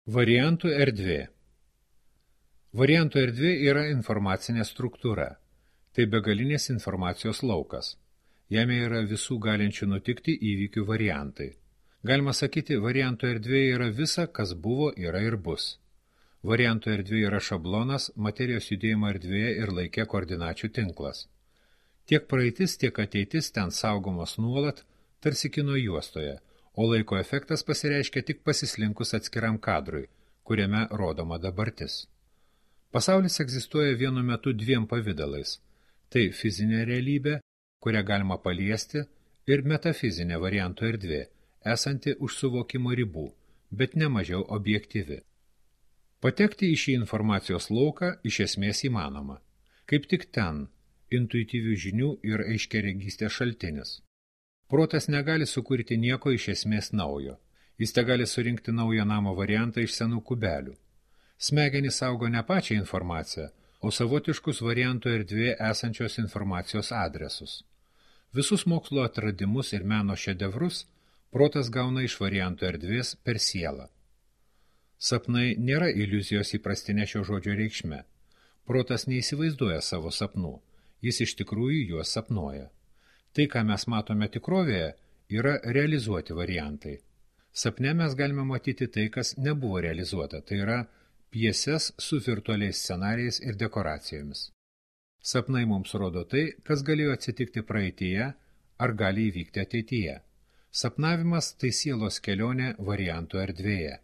Variantų erdvė. Variantų erdvė yra informacinė struktūra. Tai begalinės informacijos laukas. Jame yra visų galinčių nutikti įvykių variantai. Galima sakyti, variantų erdvė yra visa, kas buvo, yra ir bus. Variantų erdvė yra šablonas, materijos judėjimo erdvėje ir laike koordinačių tinklas. Tiek praeitis, tiek ateitis ten saugomos nuolat, tarsi kino juostoje, o laiko efektas pasireiškia tik pasislinkus atskiram kadrui, kuriame rodoma dabartis. Pasaulis egzistuoja vienu metu dviem pavidalais. Tai fizinė realybė, kurią galima paliesti, ir metafizinė variantų erdvė, esanti už suvokimo ribų, bet ne mažiau objektyvi. Patekti į šį informacijos lauką iš esmės įmanoma. Kaip tik ten intuityvių žinių ir aiškiaregystės šaltinis. Protas negali sukurti nieko iš esmės naujo. Jis tegali surinkti naują namo variantą iš senų kubelių. Smegenys saugo ne pačią informaciją, o savotiškus variantų erdvėje esančios informacijos adresus. Visus mokslo atradimus ir meno šedevrus protas gauna iš variantų erdvės per sielą. Sapnai nėra iliuzijos įprastinė šio žodžio reikšme. Protas neįsivaizduoja savo sapnų, jis iš tikrųjų juos sapnuoja. Tai, ką mes matome tikrovėje, yra realizuoti variantai. Sapne mes galime matyti tai, kas nebuvo realizuota, tai yra pjeses su virtualiais scenarijais ir dekoracijomis. Sapnai mums rodo tai, kas galėjo atsitikti praeityje ar gali įvykti ateityje. Sapnavimas tai sielos kelionė variantų erdvėje.